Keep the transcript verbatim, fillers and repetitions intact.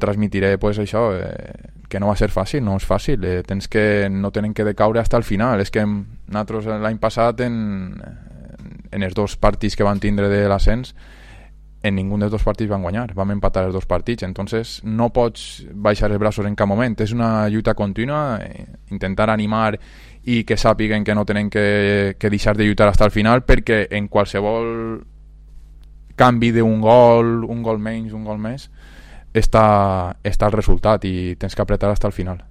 transmitiré pues això, eh, que no va ser fàcil, no és fàcil, eh, tens que, no tenen que decaure fins al final. És que nosaltres l'any passat en, en els dos partits que van tindre de l'ascens, en ningú dels dos partits van guanyar, vam empatar els dos partits, entonces no pots baixar els braços en cap moment, és una lluita contínua, eh, intentar animar i que sàpiguen que no tenen que, que deixar de lluitar fins al final, perquè en qualsevol canvi d'un gol, un gol menys, un gol més, està, està el resultat i tens que apretar fins al final.